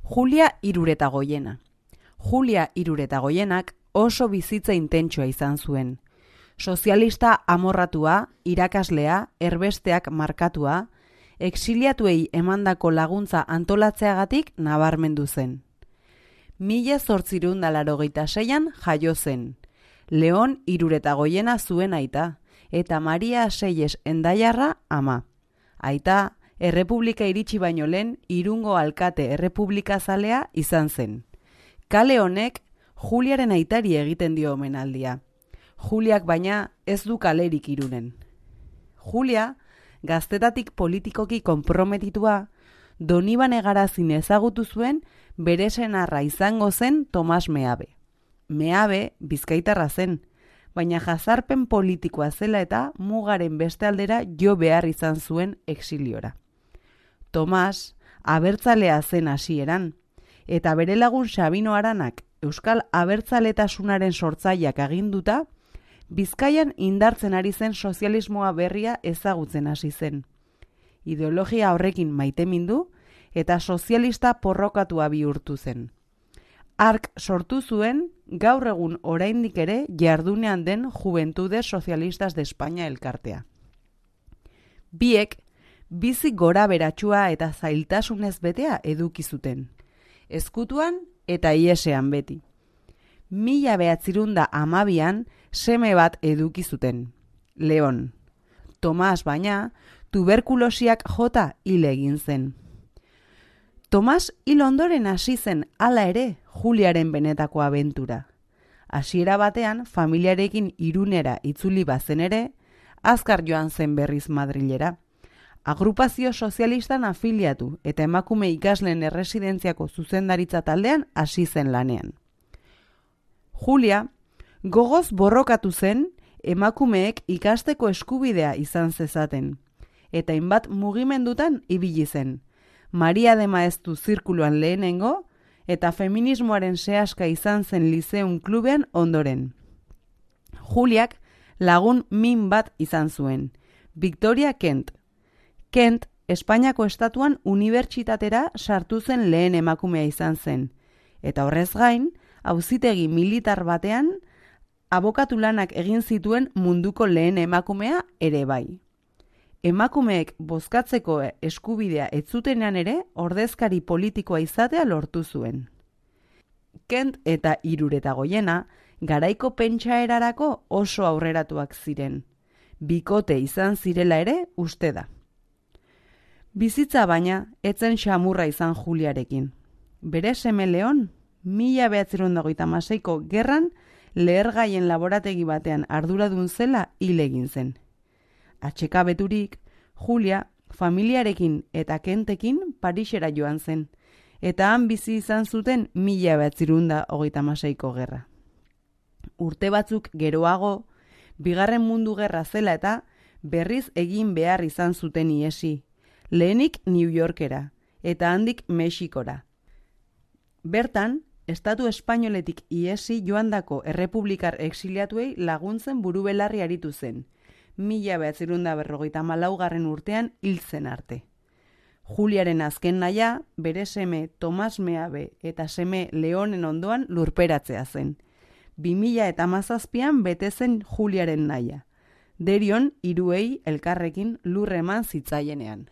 Julia Iruretagoiena. Julia Iruretagoienak oso bizitza intentsua izan zuen. Sozialista amorratua, irakaslea, erbesteak markatua, exiliatuei emandako laguntza antolatzeagatik nabarmendu zen. 1886an jaio zen. Leon Iruretagoiena zuen aita, eta Maria Seyes Endaiarra ama. Aita, Errepublika iritsi baino lehen Irungo alkate errepublikazalea izan zen. Kale honek Juliaren aitari egiten dio omenaldia. Juliak baina ez du kalerik Irunen. Julia, gaztetatik politikoki konprometitua, Donibane Garazin ezagutu zuen bere senarra izango zen Tomas Meabe. Meabe bizkaitarra zen, baina jazarpen politikoa zela eta mugaren beste aldera jo behar izan zuen exiliora. Tomas abertzalea zen hasieran, eta bere lagun Sabino Aranak Euskal Abertzaletasunaren sortzaileak aginduta, Bizkaian indartzen ari zen sozialismoa berria ezagutzen hasi zen. Ideologia horrekin maitemindu eta sozialista porrokatua bihurtu zen. Hark sortu zuen gaur egun oraindik ere jardunean den Juventudes Socialistas de España elkartea. Biek bizi gora beratsua eta zailtasunez betea eduki zuten. Ezkutuan eta iesean beti. 1912an seme bat eduki zuten, Leon. Tomas baina tuberkulosiak jota hil egin zen. Tomas hil ondoren hasi zen hala ere Juliaren benetako abentura. Hasiera batean familiarekin Irunera itzuli bazen ere, azkar joan zen berriz Madrilera. Agrupazio sozialistan afiliatu eta emakume ikasleen erresidentziako zuzendaritza taldean hasi zen lanean. Julia gogoz borrokatu zen emakumeek ikasteko eskubidea izan zezaten, eta hainbat mugimendutan ibili zen. Maria de Maeztu zirkuluan lehenengo eta feminismoaren sehaska izan zen Lizeun klubean ondoren. Juliak lagun min bat izan zuen, Victoria Kent. Kent, Espainiako estatuan unibertsitatera sartu zen lehen emakumea izan zen, eta horrez gain, auzitegi militar batean, abokatu lanak egin zituen munduko lehen emakumea ere bai. Emakumeek bozkatzeko eskubidea ez zutenean ere ordezkari politikoa izatea lortu zuen. Kent eta Iruretagoiena garaiko pentsaerarako oso aurreratuak ziren. Bikote izan zirela ere uste da. Bizitza baina etzen xamurra izan Juliarekin. Bere seme Leon 1936ko gerran lehergaien laborategi batean arduradun zela hil egin zen. Atsekabeturik, Julia familiarekin eta Kentekin Parisera joan zen, eta han bizi izan zuten 1936ko gerra. Urte batzuk geroago, Bigarren Mundu Gerra zela eta berriz egin behar izan zuten ihesi, lehenik New Yorkera eta handik Mexikora. Bertan, Estatu Espainoletik ihesi joandako errepublikar exiliatuei laguntzen burubelarri aritu zen, 1954 urtean hil zen arte. Juliaren azken nahia, bere seme Tomas Meabe eta seme Leonen ondoan lurperatzea zen. 2017an bete zen Juliaren nahia. Derion hiruei elkarrekin lur eman zitzaienean.